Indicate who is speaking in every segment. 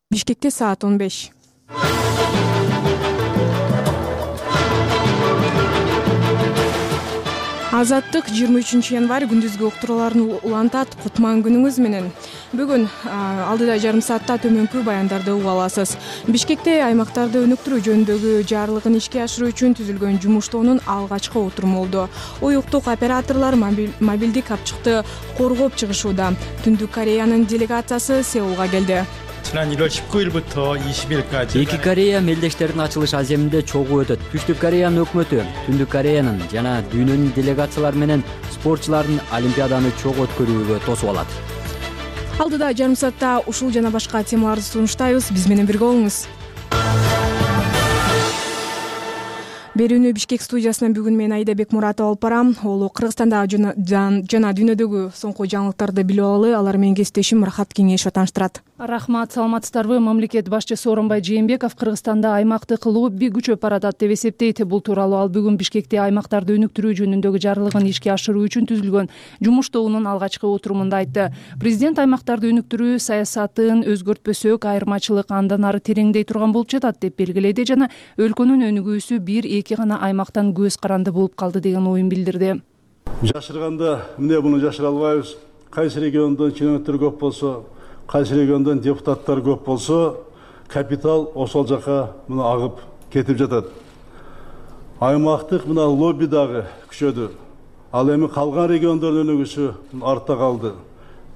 Speaker 1: Бишкекте саат 15. Азаттык 23 январь күндүзгү уктурууларын улантат. Кутман күнүңүз менен. Бүгүн алдыда жарым саатта төмөнкү баяндарды угуп аласыз. Бишкекте аймактарды өнүктүрүү жөнүндөгү жарлыгын ишке ашыруу үчүн түзүлгөн жумуш тобунун алгачкы отуруму болду. Уюктук операторлор мобилдик капчыкты коргоп чыгышууда. Түндүк Кореянын делегациясы Сеулга келди.
Speaker 2: 지난 1월 19일부터 20일까지
Speaker 3: эки Корея мелдештеринин ачылыш аземинде чогуу өтөт. Түштүк Кореянын өкмөтү Түндүк Кореянын жана дүйнөнүн делегациялары менен спортчулардын Олимпиаданы чогуу өткөрүүгө тосуп алат.
Speaker 1: Алдыда жарым саатта ушул жана башка темаларды сунуштайбыз. Биз менен бирге болуңуз. Берүүнү Бишкек студиясынан бүгүн мен Айда Бекмуратова алып барам. Ол Кыргызстандагы жана дүйнөдөгү соңку жаңылыктарды билип алалы. Алар менен кесиптешим Рахат Кеңешова тааныштырат.
Speaker 4: Рахмат, саламатсыздарбы? Мамлекет башчысы Сооронбай Жээнбеков Кыргызстанда аймактык лобби күчөп баратат деп эсептейт. Бул тууралуу ал бүгүн Бишкекте аймактарды өнүктүрүү жөнүндөгү жарлыгын ишке ашыруу үчүн түзүлгөн жумуш тобунун алгачкы отурумунда айтты. Президент аймактарды өнүктүрүү саясатын өзгөртпөсөк, айырмачылык андан ары тереңдей турган болуп жатат деп белгиледи жана өлкөнүн өнүгүүсү бир-эки гана аймактан көз каранды болуп калды деген оюн билдирди.
Speaker 5: Жашырганда эмне муну жашыра албайбыз. Кайсы региондон чиновниктер көп болсо, кайсы региондон депутаттар көп болсо, капитал ошол жака мына агып кетип жатат. Аймактык мына лобби дагы күчөдү. Ал эми калган региондордун өнүгүүсү артта калды.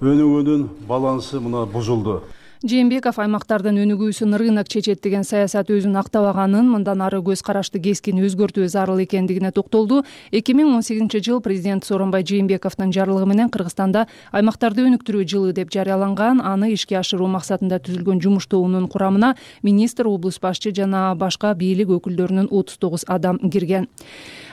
Speaker 5: Өнүгүүнүн балансы мына бузулду.
Speaker 4: Жээнбеков аймактардын өнүгүүсүн рынок чечет деген саясат өзүн актабаганын, мындан ары көз карашты кескин өзгөртүү зарыл экендигине токтолду. 2018-жыл президент Сооронбай Жээнбековдун жарлыгы менен Кыргызстанда аймактарды өнүктүрүү жылы деп жарыяланган. Аны ишке ашыруу максатында түзүлгөн жумуш тобунун курамына министр, облус башчы жана башка бийлик өкүлдөрүнүн 39 адам кирген.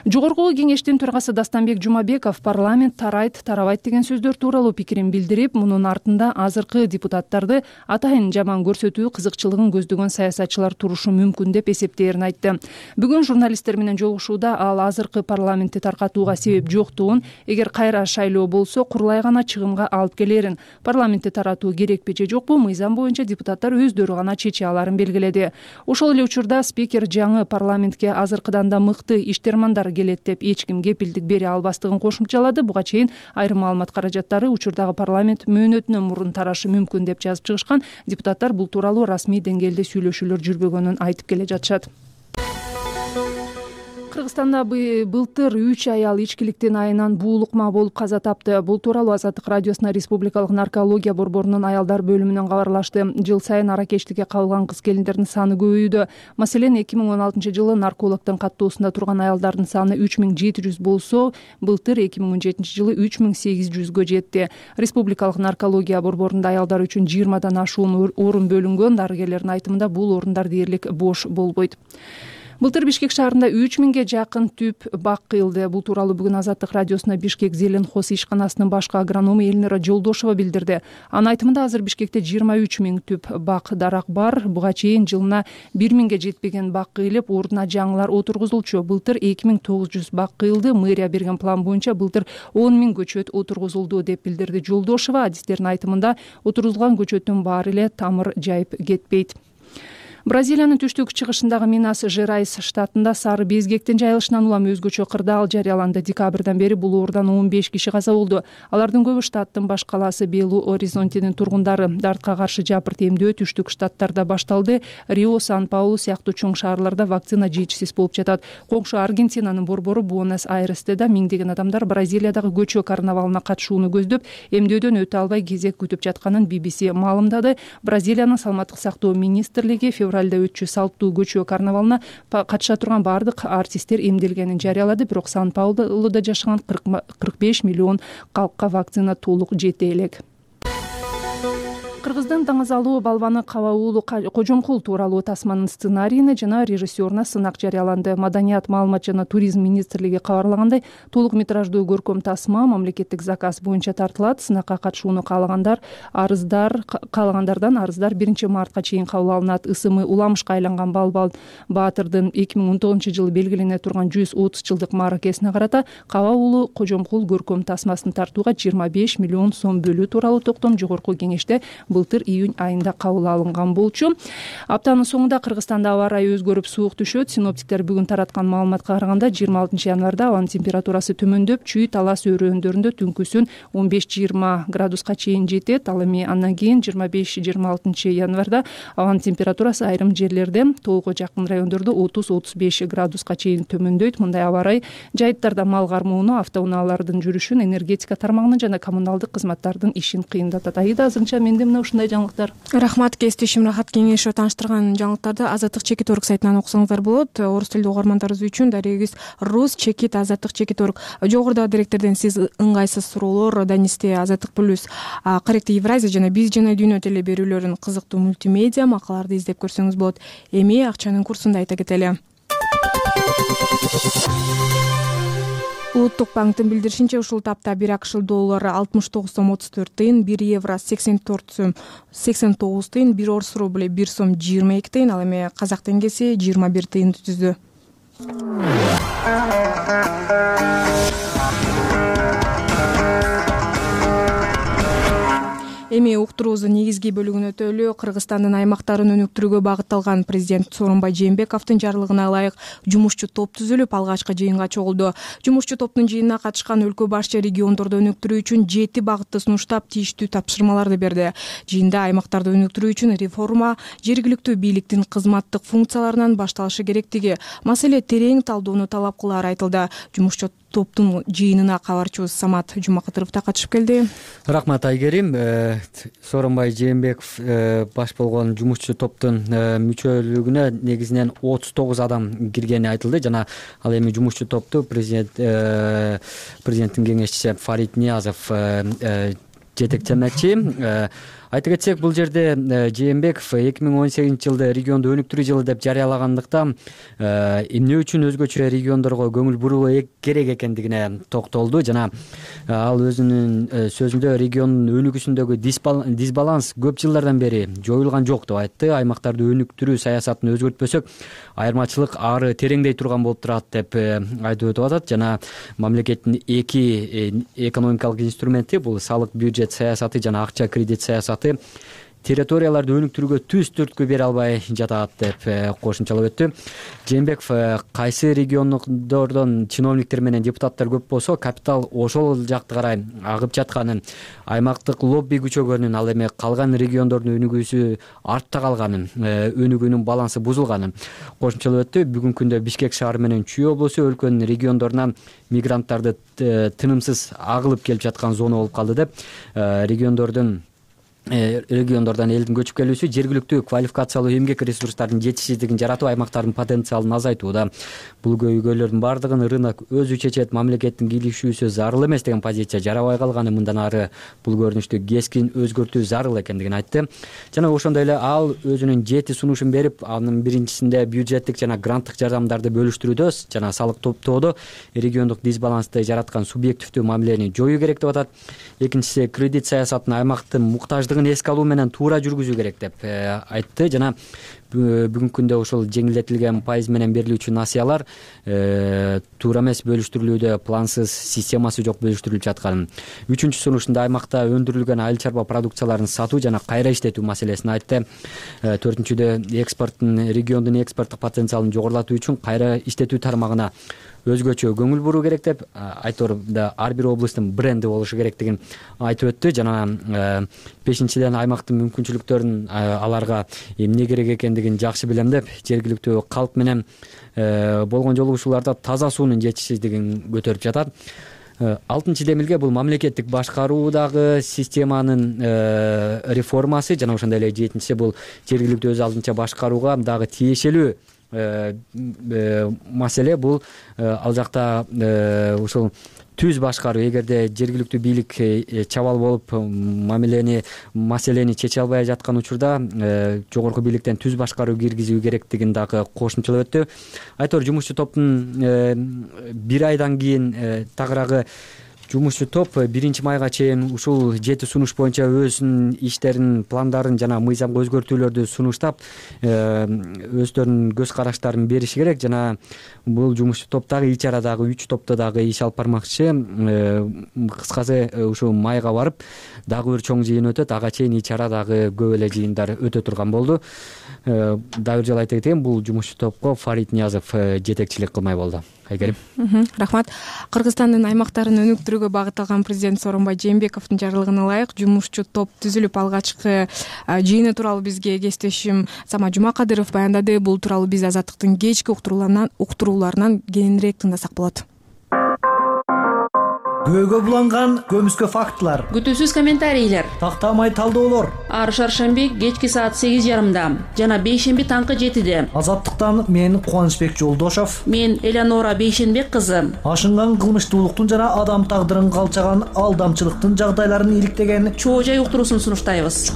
Speaker 4: Жогорку кеңештин төрагасы Дастанбек Жумабеков парламент тарайт, тарабайт деген сөздөр тууралуу пикирин билдирип, мунун артында азыркы депутаттарды атайын жаман көрсөтүү кызыкчылыгын көздөгөн саясатчылар турушу мүмкүн деп эсептээрин айтты. Бүгүн журналисттер менен жолугушууда ал азыркы парламентти таркатууга себеп жоктугун, эгер кайра шайлоо болсо курулай гана чыгымга алып келерин, парламентти таратуу керекпи же жокпу мыйзам боюнча депутаттар өздөрү гана чече аларын белгиледи. Ошол эле учурда спикер жаңы парламентке азыркыдан да мыкты иштермандар келет деп эч ким кепилдик бере албастыгын кошумчалады. Буга чейин айрым маалымат каражаттары учурдагы парламент мөөнөтүнөн мурун тарашы мүмкүн деп жазып чыгышкан. Депутаттар бул тууралуу расмий деңгээлде сүйлөшүүлөр жүрбөгөнүн айтып келе жатышат. Кыргызстанда былтыр 3 аял ичкиликтин айынан буулукма болуп каза тапты. Бул тууралуу Азаттык радиосуна Республикалык наркология борборунун аялдар бөлүмүнөн кабарлашты. Жыл сайын аракечтикке кабылган кыз-келиндердин саны көбөйүүдө. Маселен, 2016-жылы наркологдун каттоосунда турган аялдардын саны 3700 болсо, былтыр 2017-жылы 3800гө жетти. Республикалык наркология борборунда аялдар үчүн 20дан ашуун орун бөлүнгөн. Дарыгерлердин айтымында бул орундар дээрлик бош болбойт. Былтыр Бишкек шаарында 3000ге жакын түп бак кыйылды. Бул тууралуу бүгүн Азаттык радиосуна Бишкек Зеленхоз ишканасынын башкы агроному Эльнара Жолдошова билдирди. Анын айтымында азыр Бишкекте 23000 түп бак дарак бар. Буга чейин жылына 1000ге жетпеген бак кыйылып, ордуна жаңылар отургузулчу. Былтыр 2900 бак кыйылды. Мэрия берген план боюнча былтыр 10.000 көчөт отургузулду деп билдирди Жолдошова. Адистердин айтымында отургузулган көчөттүн баары эле тамыр жайып кетпейт. Бразилиянын түштүк чыгышындагы Минас Жерайс штатында сары безгектин жайылышынан улам өзгөчө кырдаал жарыяланды. Декабрдан бери бул оорудан 15 киши каза болду. Алардын көбү штаттын баш калаасы Белу Оризонтинин тургундары. Дартка каршы жапырт эмдөө түштүк штаттарда башталды. Рио, Сан-Паулу сыяктуу чоң шаарларда вакцина жетишсиз болуп жатат. Коңшу Аргентинанын борбору Буэнос-Айресте да миңдеген адамдар Бразилиядагы көчө карнавалына катышууну көздөп, эмдөөдөн өтө албай кезек күтүп жатканын BBC маалымдады. Бразилиянын саламаттык сактоо министрлиги февралда өтчү салттуу көчө карнавалына катыша турган бардык артисттер эмделгенин жарыялады. Бирок Сан-Паулуда жашаган 45 миллион калкка вакцина толук жете элек. Кыргыздын таңазалуу балбаны Каба уулу Кожомкул тууралуу тасманын сценарийине жана режиссеруна сынак жарыяланды. Маданият, маалымат жана туризм министрлиги кабарлагандай, толук метраждуу көркөм тасма мамлекеттик заказ боюнча тартылат. Сынакка катышууну каалагандардан арыздар 1-мартка чейин кабыл алынат. Ысымы уламышка айланган Балбал Баатырдын 2019-жылы белгилене турган 130 жылдык мааракесине карата Каба уулу Кожомкул көркөм тасмасын тартууга 25 миллион сом бөлүү тууралуу токтом жогорку кеңеште былтыр июнь айында кабыл алынган болчу. Аптанын соңунда Кыргызстанда аба ырайы өзгөрүп суук түшөт. Синоптиктер бүгүн тараткан маалыматка караганда 26 январда абанын температурасы төмөндөп, Чүй Талас өрөөндөрүндө түнкүсүн 15-20 градуска чейин жетет. Ал эми андан кийин 25-26 январда абанын температурасы айрым жерлерде тоого жакын райондордо 30-35 градуска чейин төмөндөйт. Мындай аба ырай жайыттарда мал кармоону, автоунаалардын жүрүшүн, энергетика тармагынын жана коммуналдык кызматтардын ишин кыйындатат. Аида, азырынча менде мына ушундай жаңылыктар.
Speaker 1: Рахмат, кесиптешим Рахат Кеңешова тааныштырган жаңылыктарды Азаттык Чекит Орг сайтынан окусаңыздар болот. Орус тилдүү угармандарыбыз үчүн дарегибиз Рус Чекит Азаттык Чекит Орг. Жогорудагы деректерден сиз ыңгайсыз суроолор, Данисте Азаттык плюс, Корректив Евразия жана Биз жана Дүйнө теле берүүлөрүнүн кызыктуу мультимедиа макалаларды издеп көрсөңүз болот. Эми акчанын курсун да айта кетели. Улуттук банктын билдиришинче, ушул тапта 1 АКШ доллары 69 сом 34 тыйын, 1 евро 84 сом 89 тыйын, 1 орус рубль 1 сом 22 тыйын, ал эми казак теңгеси 21 тыйынды түздү. Эми уктуруубуздун негизги бөлүгүнө өтөлү. Кыргызстандын аймактарын өнүктүрүүгө багытталган президент Сооронбай Жээнбековдун жарлыгына ылайык жумушчу топ түзүлүп, алгачкы жыйынга чогулду. Жумушчу топтун жыйынына катышкан өлкө башчы региондорду өнүктүрүү үчүн 7 багытты сунуштап, тийиштүү тапшырмаларды берди. Жыйында аймактарды өнүктүрүү үчүн реформа жергиликтүү бийликтин кызматтык функцияларынан башталышы керектиги, маселе терең талдоону талап кылары айтылды. Жумушчу топтун жыйынына кабарчыбыз Самат Жумакатыров да катышып келди.
Speaker 3: Рахмат, Айгерим. Сооронбай Жээнбеков баш болгон жумушчу топтун мүчөлүгүнө негизинен 39 адам киргени айтылды жана ал эми жумушчу топту президенттин кеңешчиси Фарид Ниязов жетектемекчи. Айта кетсек, бул жерде Жээнбеков 2018 жылды регионду өнүктүрүү жылы деп жарыялагандыктан эмне үчүн өзгөчө региондорго көңүл буруу керек экендигине токтолду жана ал өзүнүн сөзүндө региондун өнүгүүсүндөгү дисбаланс көп жылдардан бери жоюлган жок деп айтты. Аймактарды өнүктүрүү саясатын өзгөртпөсөк, айырмачылык ары тереңдей турган болуп турат деп айтып өтүп атат жана мамлекеттин эки экономикалык инструменти, бул салык бюджет саясаты жана акча кредит саясаты территорияларды өнүктүрүүгө түз түрткү бере албай жатат деп кошумчалап өттү. Жээнбеков кайсы региондордон чиновниктер менен депутаттар көп болсо, капитал ошол жакты карай агып жатканын, аймактык лобби күчөгөнүн, ал эми калган региондордун өнүгүүсү артта калганын, өнүгүүнүн балансы бузулганын кошумчалап өттү. Бүгүнкү күндө Бишкек шаары менен Чүй облусу өлкөнүн региондорунан мигранттарды тынымсыз агылып келип жаткан зона болуп калды деп, региондордон элдин көчүп келүүсү жергиликтүү квалификациялуу эмгек ресурстардын жетишсиздигин жаратып, аймактардын потенциалын азайтууда. Бул көйгөйлөрдүн бардыгын рынок өзү чечет, мамлекеттин кийлигишүүсү зарыл эмес деген позиция жарабай калганы, мындан ары бул көрүнүштү кескин өзгөртүү зарыл экендигин айтты. Жана ошондой эле ал өзүнүн 7 сунушун берип, анын биринчисинде бюджеттик жана гранттык жардамдарды бөлүштүрүүдө жана салык топтоодо региондук дисбалансты жараткан субъективдүү мамилени жоюу керек деп атат. Экинчиси, кредит саясатын аймактын муктаждыгын эске алуу менен туура жүргүзүү керек деп айтты жана бүгүнкү күндө ошол жеңилдетилген пайыз менен берилүүчү насыялар туура эмес бөлүштүрүлүүдө, плансыз, системасы жок бөлүштүрүлүп жатканын. Үчүнчү сунушунда аймакта өндүрүлгөн айыл чарба продукцияларын сатуу жана кайра иштетүү маселесин айтты. Төртүнчүдө, региондун экспорттук потенциалын жогорулатуу үчүн кайра иштетүү тармагына өзгөчө көңүл буруу керек деп, айторда ар бир облустун бренди болушу керектигин айтып өттү жана бешинчиден, аймактын мүмкүнчүлүктөрүн аларга эмне керек экендигин жакшы билем деп, жергиликтүү калк менен болгон жолугушууларда таза суунун жетишсиздигин көтөрүп жатат. 6 демилге бул мамлекеттик башкаруудагы системанын реформасы жана ошондой эле 7-си бул жергиликтүү өз алдынча башкарууга дагы тиешелүү маселе. Бул ал жакта ушул түз башкаруу, эгерде жергиликтүү бийлик чабал болуп маселени чече албай жаткан учурда жогорку бийликтен түз башкаруу киргизүү керектигин дагы кошумчалап өттү. Айтор жумушчу топтун 1 айдан кийин тагыраагы Жумушчу топ 1 майга чейин ушул 7 сунуш боюнча өзүнүн иштерин, пландарын жана мыйзамга өзгөртүүлөрдү сунуштап, өздөрүнүн көз караштарын бериши керек. Жана бул жумушчу топ дагы ичара дагы 3 топто дагы иш алып бармакчы. Кыскасы ушул майга барып дагы бир чоң жыйын өтөт. Ага чейин ичара дагы көп эле жыйындар өтө турган болду. Дагы бир жолу айта кетейин, бул жумушчу топко Фарид Ниязов жетекчилик кылмай болду. Айгерим.
Speaker 1: Рахмат. Кыргызстандын аймактарын өнүктүрүүгө багытталган президент Сооронбай Жээнбековдун жарлыгына ылайык жумушчу топ түзүлүп алгачкы жыйыны тууралуу бизге кесиптешим Самат Жумакадыров баяндады. Бул тууралуу биз Азаттыктын кечки уктурууларынан кийинирээк тыңдасак болот.
Speaker 6: Күбөгө буланган көмүскө фактылар,
Speaker 7: күтүүсүз комментарийлер,
Speaker 6: тактамай талдоолор
Speaker 7: ар шаршемби кечки саат 8:30 жана бейшемби таңкы 7:00.
Speaker 6: Азаттыктан мен Кубанычбек Жолдошов,
Speaker 7: мен Элеонора Бейшенбек кызы.
Speaker 6: Ашынган кылмыштуулуктун жана адам тагдырын калчаган алдамчылыктын жагдайларын иликтеген
Speaker 7: чоо жай уктуруусун сунуштайбыз.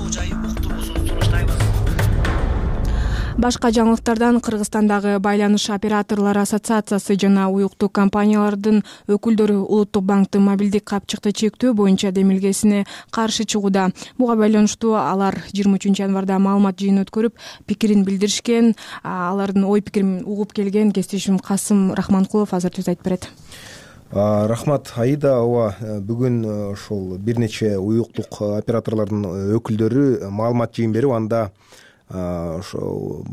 Speaker 1: Башка жаңылыктардан Кыргызстандагы Байланыш операторлору ассоциациясы жана уюктук компаниялардын өкүлдөрү Улуттук банктын мобилдик капчыкты чектөө боюнча демилгесине каршы чыгууда. Буга байланыштуу алар 23 январда маалымат жыйын өткөрүп, пикирин билдиришкен. Алардын ой пикирин угуп келген кесиптешим Касым Рахманкулов азыр сөз айтып берет.
Speaker 8: Рахмат Аида. Ооба, бүгүн ошол бир нече уюктук операторлордун өкүлдөрү маалымат жыйын берип, анда ошо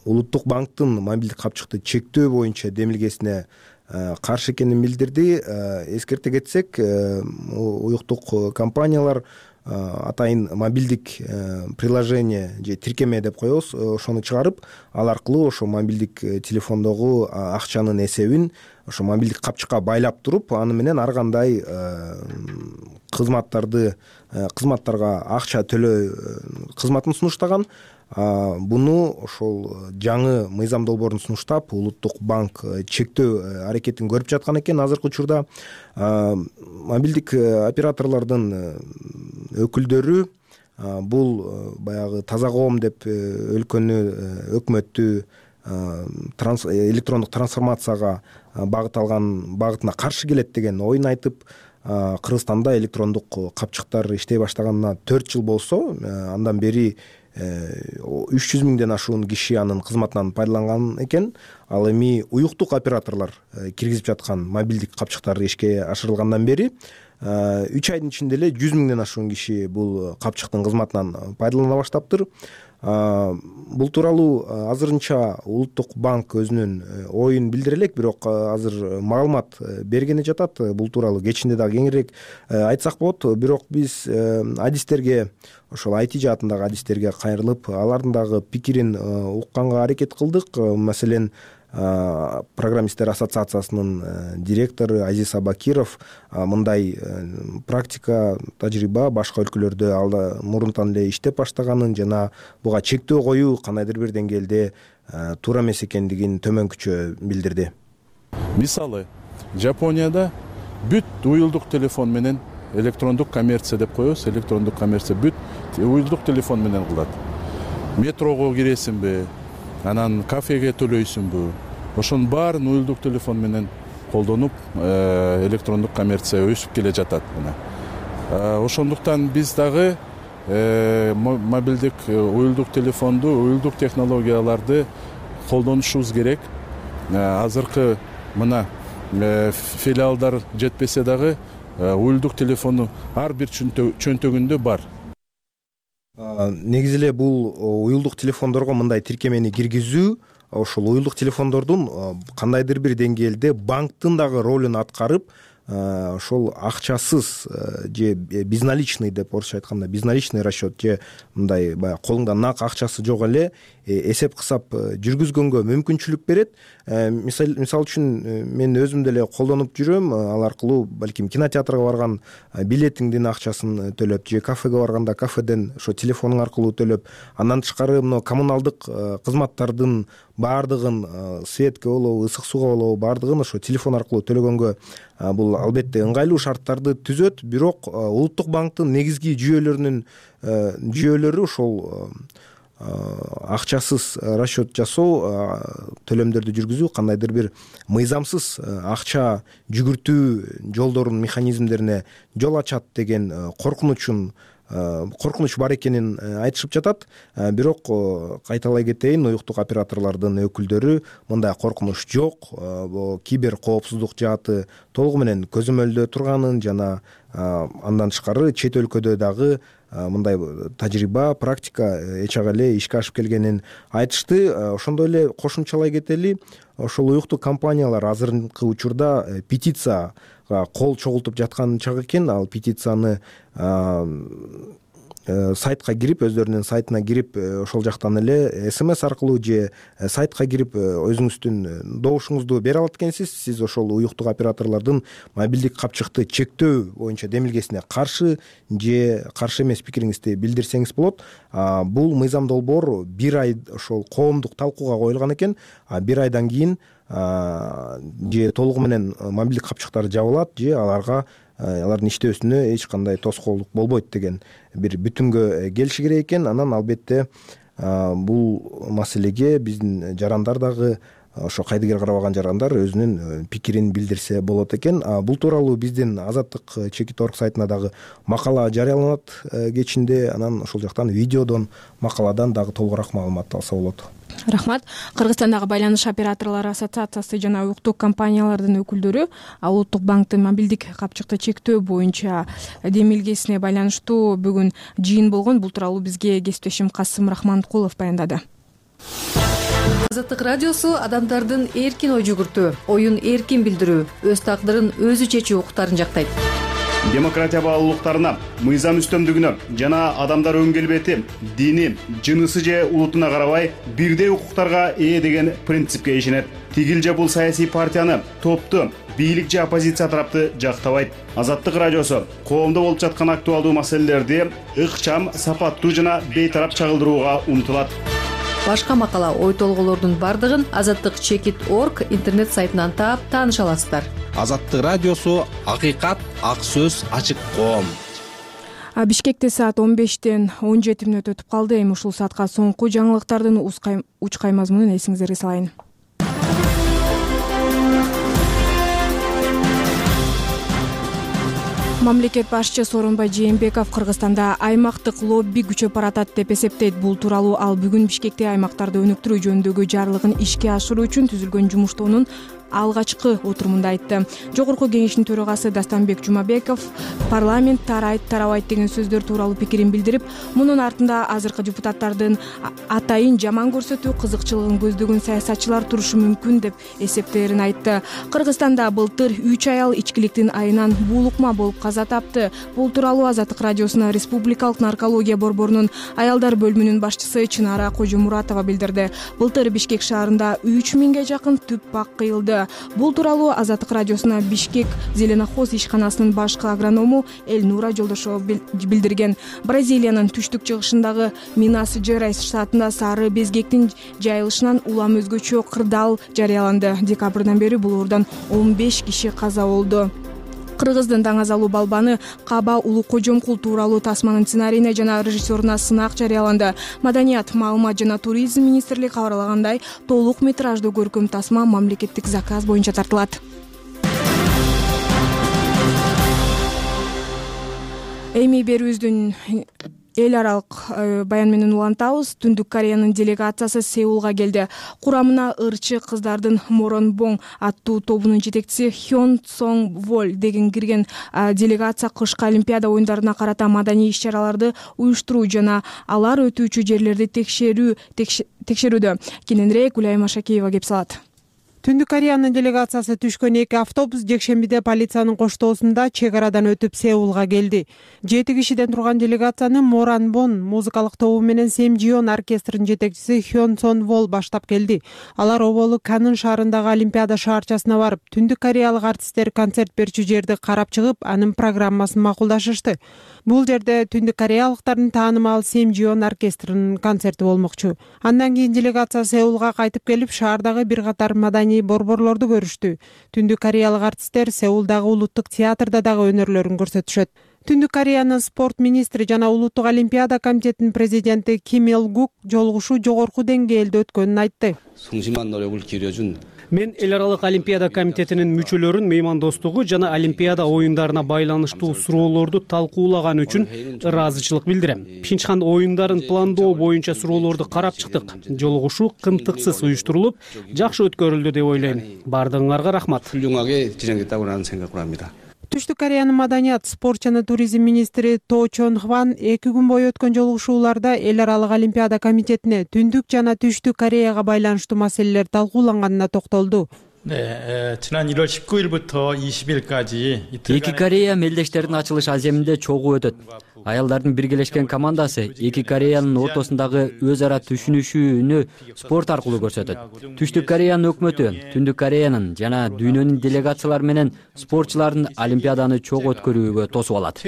Speaker 8: Улуттук банктын мобилдик капчыкты чектөө боюнча демилгесине каршы экенин билдирди. Эскерте кетсек, уюктук компаниялар атайын мобилдик приложение же тиркеме деп коебуз, ошону чыгарып, ал аркылуу ошо мобилдик телефондогу акчанын эсебин ошо мобилдик капчыкка байлап туруп, аны менен ар кандай кызматтарга акча төлөө кызматын сунуштаган. Буну ошол жаңы мыйзам долбоорун сунуштап, Улуттук банк чектөө аракетин көрүп жаткан экен. Азыркы учурда мобилдик операторлордун өкүлдөрү бул баягы таза коом деп өлкөнү, өкмөттү электрондук трансформацияга багытталган багытына каршы келет деген оюн айтып, Кыргызстанда электрондук капчыктар иштей баштаганына 4 жыл болсо, андан бери 300 миңден ашуун киши анын кызматынан пайдаланган экен. Ал эми уюктук операторлор киргизип жаткан мобилдик капчыктар ишке ашырылгандан бери 3 айдын ичинде эле 100 миңден ашуун киши бул капчыктын кызматынан пайдалана баштаптыр. Бул тууралуу азырынча Улуттук банк өзүнүн оюн билдире элек, бирок азыр маалымат бергени жатат. Бул тууралуу кечинде дагы кеңирээк айтсак болот. Бирок биз адистерге, ошол IT жаатындагы адистерге кайрылып, алардын дагы пикирин укканга аракет кылдык. Маселен, программисттер ассоциациясынын директору Азиз Абакиров мындай практика, тажрыйба башка өлкөлөрдө алда мурунтан эле иштеп баштаганын жана буга чектөө коюу кандайдыр бир деңгээлде туура эмес экендигин төмөнкүчө билдирди.
Speaker 9: Мисалы, Жапонияда бүт уюлдук телефон менен электрондук коммерция деп коебуз. Электрондук коммерция бүт уюлдук телефон менен кылат. Метрого киресиңби, анан кафеге төлөйсүңбү, ошонун баарын уюлдук телефон менен колдонуп, электрондук коммерция өсүп келе жатат. Ошондуктан биз дагы мобилдик уюлдук телефонду, уюлдук технологияларды колдонушубуз керек. Азыркы мына филиалдар жетпесе дагы уюлдук телефону ар бир чөнтөгүндө бар.
Speaker 8: Негизи эле бул уюлдук телефондорго мындай тиркемени киргизүү ошол уюлдук телефондордун кандайдыр бир деңгээлде банктын дагы ролун аткарып, ошол акчасыз же безналичный деп орусча айтканда безналичный расчет же мындай баягы колуңда нак акчасы жок эле эсеп кысап жүргүзгөнгө мүмкүнчүлүк берет. Мисал үчүн мен өзүм деле колдонуп жүрөм. Ал аркылуу балким кинотеатрга барган билетиңдин акчасын төлөп же кафеге барганда кафеден ошо телефонуң аркылуу төлөп, андан тышкары мына коммуналдык кызматтардын баардыгын, светке болобу, ысык сууга болобу, баардыгын ошо телефон аркылуу төлөгөнгө бул албетте ыңгайлуу шарттарды түзөт. Бирок Улуттук банктын негизги жүйөлөрү ошол акчасыз расчет жасоо, төлөмдөрдү жүргүзүү, кандайдыр бир мыйзамсыз акча жүгүртүү жолдорунун механизмдерине жол ачат деген коркунуч бар экенин айтышып жатат. Бирок кайталай кетейин, уюктук операторлордун өкүлдөрү мындай коркунуч жок, бул кибер коопсуздук жааты толугу менен көзөмөлдө турганын жана андан тышкары чет өлкөдө дагы мындай тажрыйба, практика эч ага эле ишке ашып келгенин айтышты. Ошондой эле кошумчалай кетели, ошол уюктук компаниялар азыркы учурда петицияга кол чогултуп жаткан чак экен. Ал петицияны сайтка кирип, өздөрүнүн сайтына кирип, ошол жактан эле СМС аркылуу же сайтка кирип өзүңүздүн добушуңузду бере алат экенсиз. Сиз ошол уюктук операторлордун мобилдик капчыкты чектөө боюнча демилгесине каршы же каршы эмес пикириңизди билдирсеңиз болот. Бул мыйзам долбоор 1 ай ошол коомдук талкууга коюлган экен. 1 айдан кийин же толугу менен мобилдик капчыктар жабылат, же алардын иштөөсүнө эч кандай тоскоолдук болбойт деген бир бүтүмгө келиши керек экен. Анан албетте бул маселеге биздин жарандар дагы, ошо кайдыгер карабаган жарандар өзүнүн пикирин билдирсе болот экен. Бул тууралуу биздин Азаттык Чекит.орг сайтына дагы макала жарыяланат кечинде. Анан ошол жактан видеодон, макаладан дагы толугураак маалымат алса болот.
Speaker 1: Рахмат. Кыргызстандагы байланыш операторлору ассоциациясы жана уюктук компаниялардын өкүлдөрү Улуттук банктын мобилдик капчыкты чектөө боюнча демилгесине байланыштуу бүгүн жыйын болгон. Бул тууралуу бизге кесиптешим Касым Рахманкулов баяндады.
Speaker 10: Азаттык радиосу адамдардын эркин ой жүгүртүү, оюн эркин билдирүү, өз тагдырын өзү чечүү укуктарын жактайт.
Speaker 11: Демократия баалуулуктарына, мыйзам үстөмдүгүнө жана адамдар өң келбети, дини, жынысы же улутуна карабай бирдей укуктарга ээ деген принципке ишенет. Тигил же бул саясий партияны, топту, бийлик же оппозиция тарапты жактабайт. Азаттык радиосу коомдо болуп жаткан актуалдуу маселелерди ыкчам, сапаттуу жана бейтарап чагылдырууга умтулат.
Speaker 10: Башка макала, ой толгоолордун бардыгын Азаттык Чекит.орг интернет сайтынан таап тааныша аласыздар.
Speaker 12: Азаттык радиосу акыйкат, ак сөз, ачык коом.
Speaker 1: Бишкекте саат 15-тен 17 мүнөт өтүп калды. Эми ушул саатка соңку жаңылыктардын учкай мазмунун эсиңиздерге салайын. Мамлекет башчы Сооронбай Жээнбеков Кыргызстанда аймактык лобби күчөп баратат деп эсептейт. Бул тууралуу ал бүгүн Бишкекте аймактарды өнүктүрүү жөнүндөгү жарлыгын ишке ашыруу үчүн түзүлгөн жумуштоонун алгачкы отурумунда айтты. Жогорку кеңештин төрагасы Дастанбек Жумабеков парламент тарабайт деген сөздөр тууралуу пикирин билдирип, мунун артында азыркы депутаттардын атайын жаман көрсөтүү кызыкчылыгын көздөгөн саясатчылар турушу мүмкүн деп эсептээрин айтты. Кыргызстанда былтыр 3 аял ичкиликтин айынан буулукма болуп каза тапты. Бул тууралуу Азаттык радиосуна Республикалык наркология борборунун аялдар бөлүмүнүн башчысы Чынара Кожомуратова билдирди. Былтыр Бишкек шаарында 3000ге жакын түп бак кыйылды. Бул тууралуу Азаттык радиосуна Бишкек Зеленохоз ишканасынын башкы агроному Элнура Жолдошова билдирген. Бразилиянын түштүк чыгышындагы Минас Жерайс штатында сары безгектин жайылышынан улам өзгөчө кырдаал жарыяланды. Декабрдан бери бул оордон 15 киши каза болду. Кыргыздын даңазалуу балбаны Каба Улукожомкул тууралуу тасманын сценарийине жана режиссеруна сынак жарыяланды. Маданият, маалымат жана туризм министрлиги кабарлагандай, толук метраждуу көркөм тасма мамлекеттик заказ боюнча тартылат. Эми берүүбүздүн эл аралык баян менен улантабыз. Түндүк Кореянын делегациясы Сеулга келди. Курамына ырчы кыздардын Моронбоң аттуу тобунун жетекчиси Хён Сонг Воль деген кирген. Делегация кышкы Олимпиада оюндарына карата маданий иш-чараларды уюштуруу жана алар өтүүчү жерлерди текшерүүдө. Кененирээк Гүлайым Ашакеева кеп салат.
Speaker 13: Түндүк Кореянын делегациясы түшкөн 2 автобус жекшембиде полициянын коштоосунда чек арадан өтүп Сеулга келди. 7 кишиден турган делегацияны Моранбон музыкалык тобу менен Семжион оркестринин жетекчиси Хён Сон Вол баштап келди. Алар оболу Канын шаарындагы Олимпиада шаарчасына барып, түндүк кореялык артисттер концерт берчү жерди карап чыгып, анын программасын макулдашышты. Бул жерде түндүк кореялыктардын таанымал Семжион оркестринин концерти болмокчу. Андан кийин делегация Сеулга кайтып келип, шаардагы бир катар маданий борборлорду көрүштү. Түндүк кореялык артисттер Сеулдагы улуттук театрда дагы өнөрлөрүн көрсөтүшөт. Түндүк Кореянын спорт министри жана улуттук олимпиада комитетинин президенти Ким Эл Гук жолугушуу жогорку деңгээлде өткөнүн айтты.
Speaker 14: Мен эл аралык олимпиада комитетинин мүчөлөрүн меймандостугу жана олимпиада оюндарына байланыштуу суроолорду талкуулаган үчүн ыраазычылык билдирем. Пхенчхан оюндарын пландоо боюнча суроолорду карап чыктык. Жолугушуу кымтыксыз уюштурулуп, жакшы өткөрүлдү деп ойлойм. Бардыгыңарга рахмат.
Speaker 13: Түштүк Кореянын маданият, спорт жана туризм министри То Чон Хван 2 күн бою өткөн жолугушууларда эл аралык олимпиада комитетине Түндүк жана Түштүк Кореяга байланыштуу маселелер талкууланганына токтолду.
Speaker 2: 지난 1월 19일부터 20일까지
Speaker 3: Эки Корея мелдештердин ачылыш аземинде чогуу өтөт. Аялдардын биргелешкен командасы эки Кореянын ортосундагы өз ара түшүнүшүүнү спорт аркылуу көрсөтөт. Түштүк Кореянын өкмөтү Түндүк Кореянын жана дүйнөнүн делегациялары менен спортчулардын олимпиаданы чогуу өткөрүүгө тосуп алат.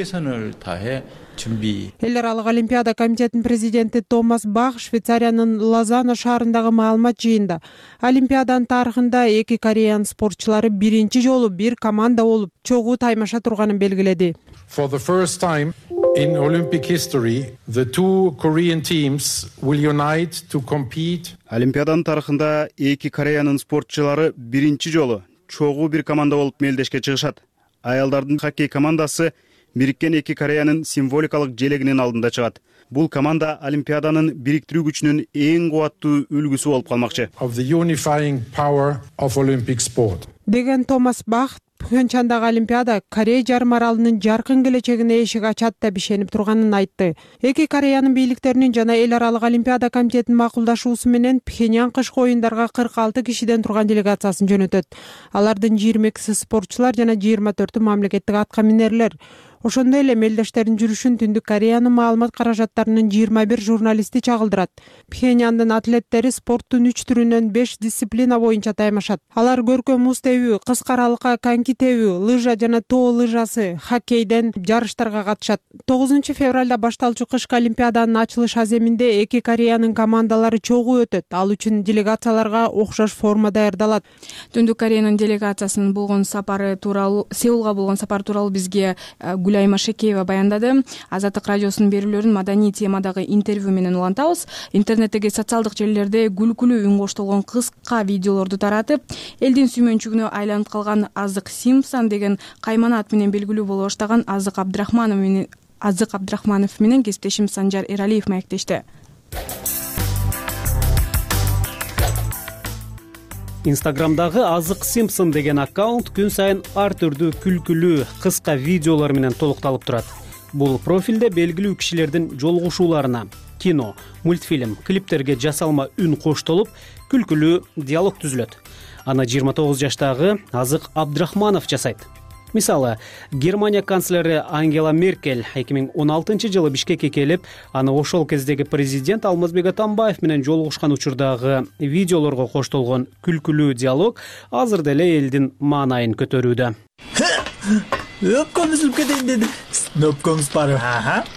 Speaker 13: Эл аралык олимпиада комитетинин президенти Томас Бах Швейцариянын Лозанна шаарындагы маалымат жыйында олимпиаданын тарыхында эки Кореянын спортчулары биринчи жолу бир команда болуп чогуу таймаша турганын белгиледи.
Speaker 15: For the first time in Olympic history, the two Korean teams will unite to compete.
Speaker 11: Олимпиаданын тарыхында эки Кореянын спортчулары биринчи жолу чогуу бир команда болуп мелдешке чыгышат. Аялдардын хоккей командасы бириккен эки Кореянын символикалык желегинин алдында чыгат. Бул команда олимпиаданын бириктирүү күчүнүн эң кубаттуу үлгүсү болуп калмакчы.
Speaker 15: Of the unifying power of Olympic sport.
Speaker 13: Деген Томас Бах Пхенчхандагы олимпиада Корея жарым аралынын жаркын келечегине эшик ачат деп ишенип турганын айтты. Эки Кореянын бийликтеринин жана эл аралык олимпиада комитетинин макулдашуусу менен Пхеньян кышкы оюндарга 46 кишиден турган делегациясын жөнөтөт. Алардын 22си спортчулар жана 24-ү мамлекеттик атка минерлер. Ошондой эле мелдештердин жүрүшүн Түндүк Кореянын маалымат каражаттарынын 21 журналисти чагылдырат. Пхеньяндын атлеттери спорттун 3 түрүнөн 5 дисциплина боюнча таймашат. Алар көркөм муз тебүү, кыска аралыкка коньки тебүү, лыжа жана тоо лыжасы, хоккейден жарыштарга катышат. 9 февралда башталчу кышкы олимпиаданын ачылыш аземинде эки Кореянын командалары чогуу өтөт. Ал үчүн делегацияларга окшош форма даярдалат.
Speaker 1: Түндүк Кореянын делегациясынын болгон сапары тууралуу, Сеулга болгон сапар тууралуу бизге Гүлай Машекеева баяндады. Азаттык радиосунун берүүлөрүн маданий темадагы интервью менен улантабыз. Интернеттеги социалдык желилерде күлкүлүү үн коштолгон кыска видеолорду таратып, элдин сүймөнчүгүнө айланып калган Азык Симпсон деген каймана ат менен белгилүү боло баштаган Азык Абдрахманов менен кесиптешим Санжар Эралиев маектешти.
Speaker 14: Инстаграмдагы Азык Симпсон деген аккаунт күн сайын ар түрдүү күлкүлүү кыска видеолор менен толукталып турат. Бул профилде белгилүү кишилердин жолугушууларына, кино, мультфильм, клиптерге жасалма үн коштолуп, күлкүлүү диалог түзүлөт. Аны 29 жаштагы Азык Абдрахманов жасайт. Мисалы, Германия канцлери Ангела Меркель 2016 жылы Бишкекке келип, аны ошол кездеги президент Алмазбек Атамбаев менен жолугушкан учурдагы видеолорго коштолгон күлкүлүү диалог азыр деле элдин маанайын көтөрүүдө.
Speaker 6: Өпкөм үзүлүп кетейин деди. Өпкөңүз барбы?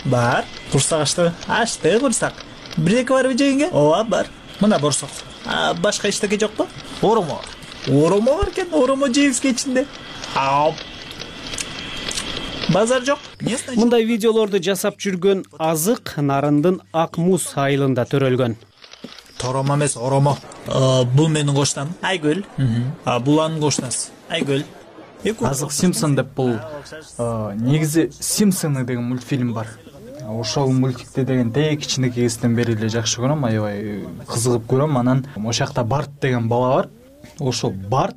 Speaker 6: Бар. Курсак ашты курсак. Бир-эки барбы жегенге? Ооба, бар. Мына борсок. Башка эчтеке жокпу? Оромо бар экен, оромо жейбиз кечинде. Базар жок.
Speaker 14: Мындай видеолорду жасап жүргөн Азык Нарындын Ак Муз айылында төрөлгөн.
Speaker 6: Торомо эмес, оромо. Бул менин коштам. Айгүл. Бул анын коштасы. Айгүл.
Speaker 16: Азык Симпсон деп бул негизи Симпсоны деген мультфильм бар. Ошол мультикти деген кичинекей кезден бери эле жакшы көрөм, аябай кызыгып көрөм. Анан ошол жакта Барт деген бала бар. Ошол Барт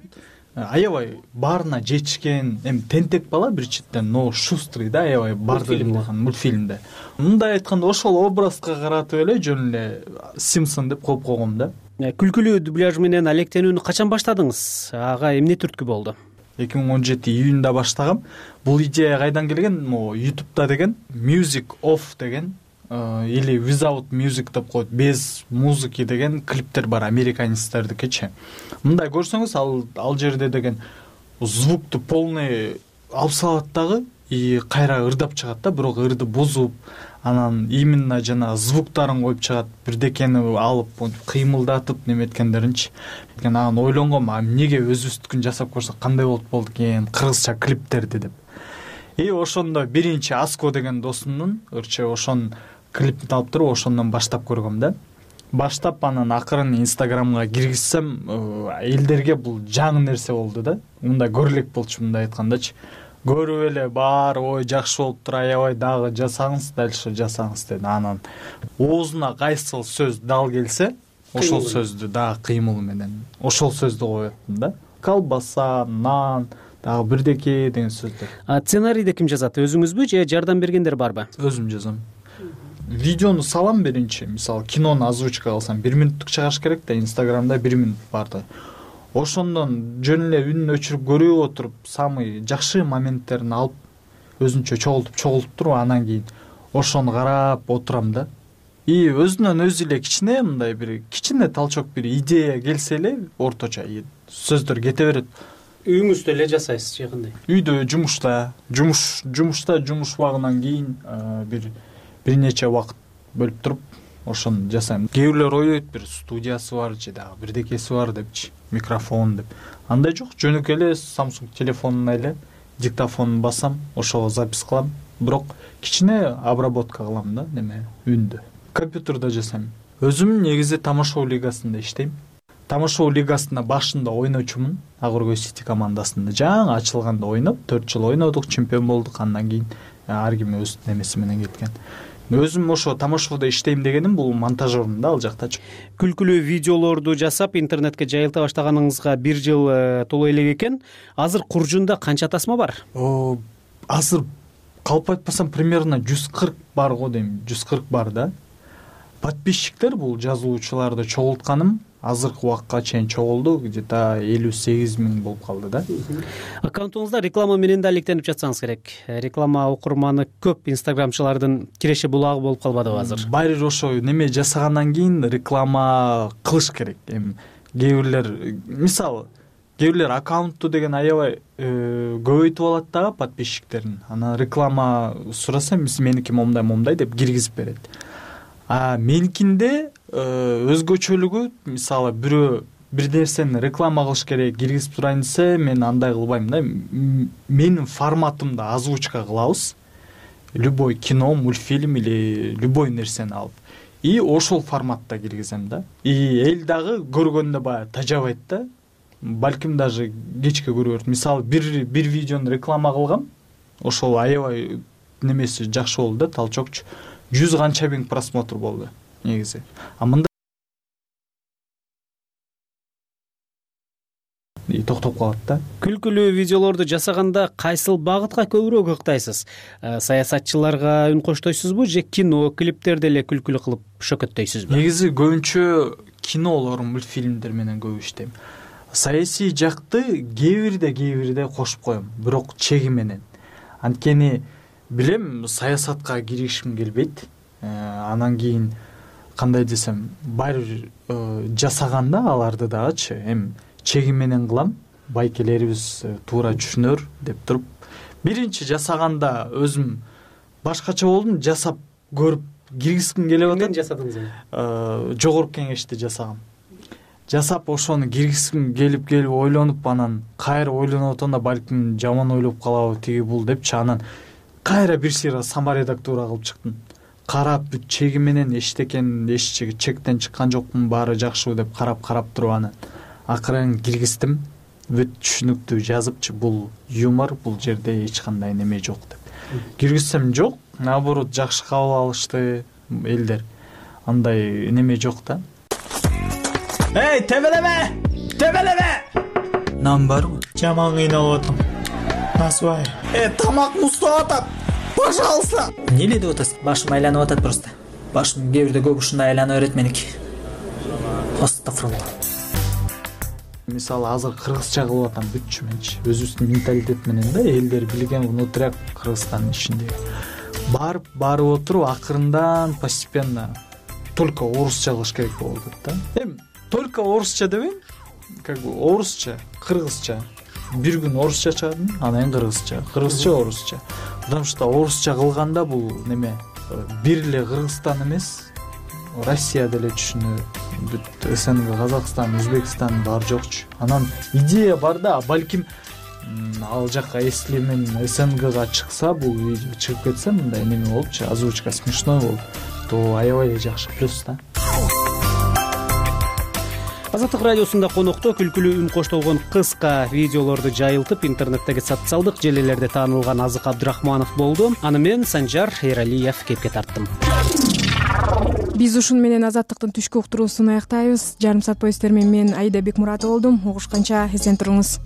Speaker 16: аябай баарына жетишкен, тентек бала бир четтен, но шустрый да, аябай бардыгын мультфильмде. Мындай айтканда ошол образга каратып эле жөн эле Симпсон деп коюп койгом да.
Speaker 14: Күлкүлүү дубляж менен алектенүүнү качан баштадыңыз? Ага эмне түрткү болду?
Speaker 16: 2017 июнда баштагам. Бул идея кайдан келген? YouTube'да деген Music Off деген или Without Music деп коет, без музыки деген клиптер бар, американецтердикичи. Мындай көрсөңүз, ал жерде деген звукту полный алып салат дагы, и кайра ырдап чыгат да, бирок ырды бузуп, анан именно жана звуктарын коюп чыгат, бирдекени алып кыймылдатып неметкендеринчи. Анан ойлонгом, эмнеге өзүбүздүкүн жасап көрсөк кандай болот экен, кыргызча клиптерди деп. И ошондо биринчи Аско деген досумдун ырчы ошонун клипин алып туруп ошондон баштап көргөм да. Баштап анан акырын Инстаграмга киргизсем, элдерге бул жаңы нерсе болду да. Мындай көрө элек болчу, мындай айткандачы. Көрүп эле баары ой жакшы болуптур, аябай дагы жасаңыз, дальше жасаңыз деди. Анан оозуна кайсыл сөз дал келсе, ошол сөздү дагы кыймыл менен ошол сөздү коюп аттым да. Колбаса, нан, дагы бирдеке деген сөздөр.
Speaker 14: Сценарийди ким жазат? Өзүңүзбү же жардам бергендер барбы?
Speaker 16: Өзүм жазам. Видеону салам биринчи, мисалы кинону озвучка кылсам 1 минуттук чыгаш керек да, Инстаграмда 1 минут барды. Ошондон жөн эле үнүн өчүрүп көрүп отуруп, самый жакшы моменттерин алып, өзүнчө чогултуп туруп, анан кийин ошону карап отурам да. И өзүнөн өзү эле кичине мындай бир кичине талчок бир идея келсе эле, орточо сөздөр кете берет.
Speaker 14: Үйүңүздө эле жасайсыз же кандай?
Speaker 16: Үйдө, жумушта жумуш убагынан кийин бир нече убакыт бөлүп туруп ошону жасайм. Кээ бирлер ойлойт, бир студиясы бар же дагы бирдекеси бар депчи, микрофон деп. Андай жок, жөнөкөй эле Samsung телефонуна эле диктофонун басам, ошого запись кылам, бирок кичине обработка кылам да, неме үндү. Компьютерде жасайм. Өзүм негизи Тамашоо лигасында иштейм. Тамашоо лигасында башында ойночумун, Агыркөй Сити командасында. Жаңы ачылганда ойноп, 4 жыл ойнодук, чемпион болдук. Андан кийин ар ким өз немеси менен кеткен. Өзүм ошо Тамашоодо иштейм дегеним бул монтажермун да, ал жактачы.
Speaker 14: Күлкүлүү видеолорду жасап интернетке жайылта баштаганыңызга 1 жыл толо элек экен. Азыр Куржунда канча тасма бар?
Speaker 16: Азыр калп айтпасам примерно 140 бар го дейм, 140 бар да. Подписчиктер бул жазуучуларды чогултканым азыркы убакка чейин чогулду, где-то 58 000 болуп калды да.
Speaker 14: Аккаунтуңузда реклама менен да алектенип жатсаңыз керек. Реклама окурманы көп инстаграмчылардын киреше булагы болуп калбадыбы азыр?
Speaker 16: Байыр ошо неме жасагандан кийин реклама кылыш керек. Эми кээ бирлер, мисалы, кээ бирлер аккаунтту деген аябай көбөйтүп алат дагы подписчиктерин. Анан реклама сураса, меники момдай деп киргизип берет. Меникинде өзгөчөлүгү, мисалы, бирөө бир нерсени реклама кылыш керек, киргизип турайын десе, мен андай кылбайм да. Менин форматымда озвучка кылабыз. Любой кино, мультфильм или любой нерсени алып. И ошол форматта киргизем да. И эл дагы көргөндө баягы тажабайт да. Балким даже кечке көрөт. Мисалы, бир видеону реклама кылгам, ошол аябай немеси жакшы болду да, талчокчу. 100 канча миң просмотр болду негизи. Мында токтоп калат да.
Speaker 14: Күлкүлүү видеолорду жасаганда кайсыл багытка көбүрөөк ыктайсыз? Саясатчыларга үн коштойсузбу же кино, клиптерди эле күлкүлүү кылып шөкөттөйсүзбү?
Speaker 16: Негизи көбүнчө кинолор, мультфильмдер менен көп иштейм. Саясий жакты кээ бирде кошуп коем, бирок чеги менен. Анткени билем, саясатка киришим келбейт. Анан кийин кандай десем, баары жасаганда аларды дагычы, эми чеги менен кылам, байкелерибиз туура түшүнөр деп туруп. Биринчи жасаганда өзүм башкача болдум, жасап көрүп киргизгим келип атат.
Speaker 14: Эмне жасадыңыз?
Speaker 16: Жогорку кеңешти жасагам. Жасап ошону киргизгим келип ойлонуп, анан кайра ойлонуп атам да, балким жаман ойлоп калабы тиги бул депчи, анан кайра бир сыйра саморедактура кылып чыктым. Карап бүт чеги менен эчтекен, чектен чыккан жокмун, баары жакшыбы деп карап туруп анан акырын киргиздим. Бүт түшүнүктүү жазыпчы, бул юмор, бул жерде эч кандай неме жок деп. Киргизсем жок, наоборот жакшы кабыл алышты элдер. Андай неме жок да.
Speaker 6: Эй, тебелеме! Нан барбы? Жаман кыйналып атам. Насыбай. Тамак муздап атат. Пожалуйста. Эмне деп атасың? Башым айланып атат просто. Башым кээ бирде көп ушундай айланып берет меники. Астагфирулла.
Speaker 16: Мисалы, азыр кыргызча кылып атам бүтчү менчи. Өзүбүздүн менталитет менен да, элдер билген внутряк Кыргызстандын ичинде. Барып отуруп, акырындан постепенно только орусча кылыш керек болуп атат да. Эми только орусча дебейм, как бы орусча, кыргызча. Бир күн орусча чыгардым, анан кыргызча, орусча. Потому что орусча кылганда бул неме, бир эле Кыргызстан эмес, Россия деле түшүнөт. Бүт СНГ, Казакстан, Өзбекстан бар жокчу. Анан идея бар да, балким ал жака если мен СНГга чыкса, бул видео чыгып кетсе, мындай неме болупчу, озвучка смешной болуп, то аябай эле жакшы, плюс да.
Speaker 14: Азаттык радиосунда конокто күлкүлүү үн коштолгон кыска видеолорду жайылтып интернеттеги социалдык желилерде таанылган Азык Абдрахманов болду. Аны мен Санжар Эралиев кепке тарттым.
Speaker 1: Биз ушун менен Азаттыктын түшкү уктуруусун аяктайбыз. Жарым саат бою сиздер менен мен Аида Бекмуратова болдум. Угушканча эсен туруңуз.